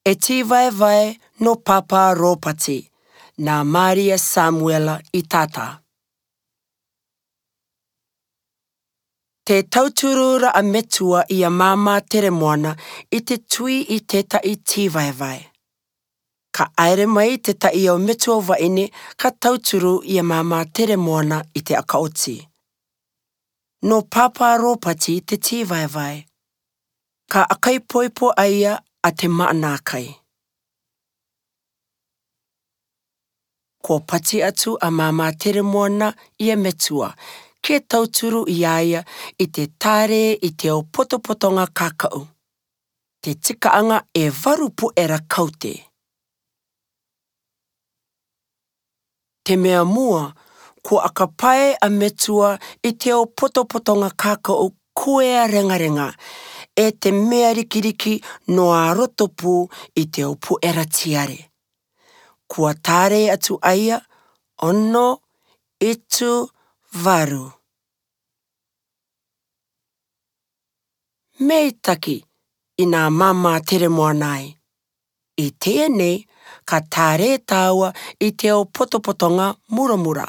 E tīvaevae nō Pāpā Rōpati, nā Māria Samuela i tātā. Tē tauturu ra a Metua i a Māmā Teremoana i te tui i tētaʻi tīvaevae. Ka aere mai te taʻi o Metua Waine ka tauturu i a Māmā Teremoana i te akaoti. Nō Pāpā Rōpati te tīvaevae. Ka akaipoipo a ia a Te Maanaakai. Kua pati atu a Māmā Teremoana i a Metua, ke tauturu i a ia i te tārē i te o potopotonga kakau. Te tikaanga e varu puera kaute. Te mea mua, kua akapae a Metua i te ao potopotonga kakau koea rengarenga, e te mea rikiriki noa a roto pū i te ao puera tiare. Kua tārei atu a ia, ono, itu, varu. Me i taki, inā māmā Teremoana ai. I tēnei, ka tārē tāua i te ao potopotonga muramura.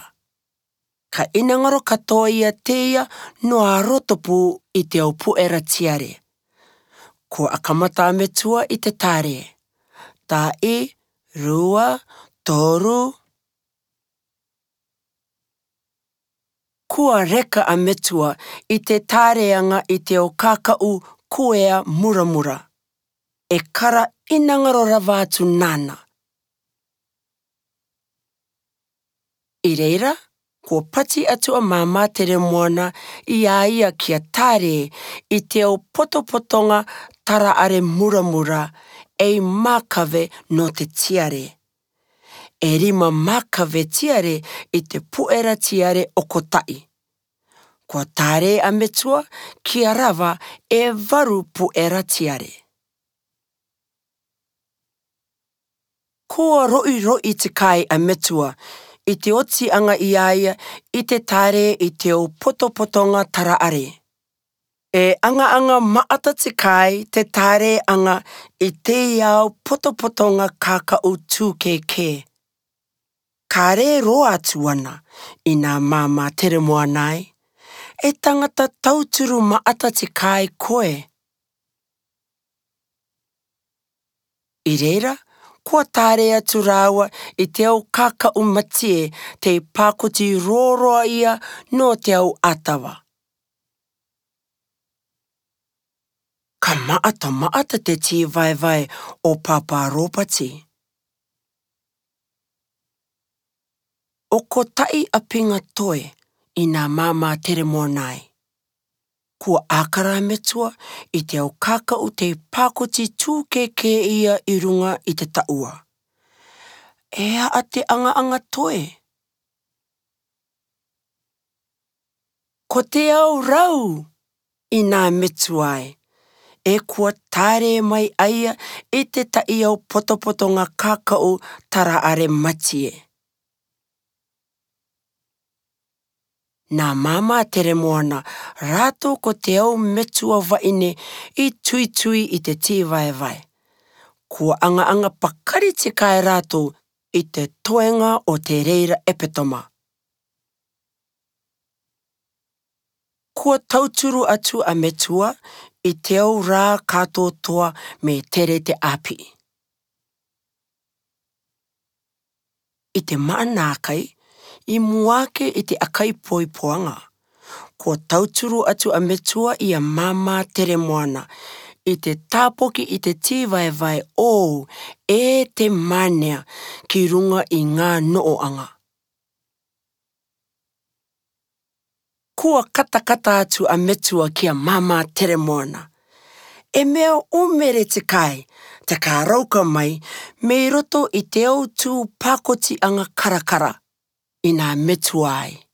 Ka inangaro katoa ia tēia noa a roto pū i te ao puera tiare. Kua akamata a Metua i te tārē. Taʻi, rua, toru. Kua reka a Metua i te tāreanga i te o kākaʻu kuea muramura. E kara inangaro rawa atu nāna. I reira, kua pati atu a Māmā Teremoana i a ia kia tārē i te o potopotonga tara-are muramura ei mākawe nō te tiare. E rima mākawe tiare i te puera tiare okotaʻi. Kua tārē a Metua kia rawa e varu puera tiare. Kua roiroi te kai a Metua i te otianga i a ia i te tārē i te o potopotonga tara-are. E angaanga maata te kai te tārē anga i te iao potopotonga kākau tūkēkē. Kāre roa atu ana, inā māmā Teremoana ai, E tangata tauturu maata te kai koe. I reira, kua tāre atu rāua i te au kākau matie te pākoti rōroa ia nō te au ātawa. Ka maata maata te tīvaevae o Pāpā Rōpati. Okotaʻi a Pinga Toi i nā māmā Teremoana ai. Kua ākara a Metua i te ao kākau te pākoti tūkēkē ia i runga i te taua. E aa te angaanga toi? Ko te ao rau! Inā metu ai, e kua tārē mai aia i te taʻiao potopotonga kakau tara-are matie. Nā Māmā Teremoana rātou ko Te Au Metua Vaine i tuitui i te tīvaevae. Kua angaanga pakari tikae rātou i te toenga o te reira epetoma. Kua tauturu atu a Metua i te au rā kātōtoa me tere te āpi. I te maanākai, i mua ake i te akaipoipoanga, kua tauturu atu a Metua i a Māmā Teremoana i te tāpoki i te tīvaevae ōu e te mānea ki runga i ngā nooanga. Kua katakata atu a Metua ki a Māmā Teremoana. E mea umere te kai, te kārauka mai me i roto i te au tū pākoti anga karakara, inā metua ai.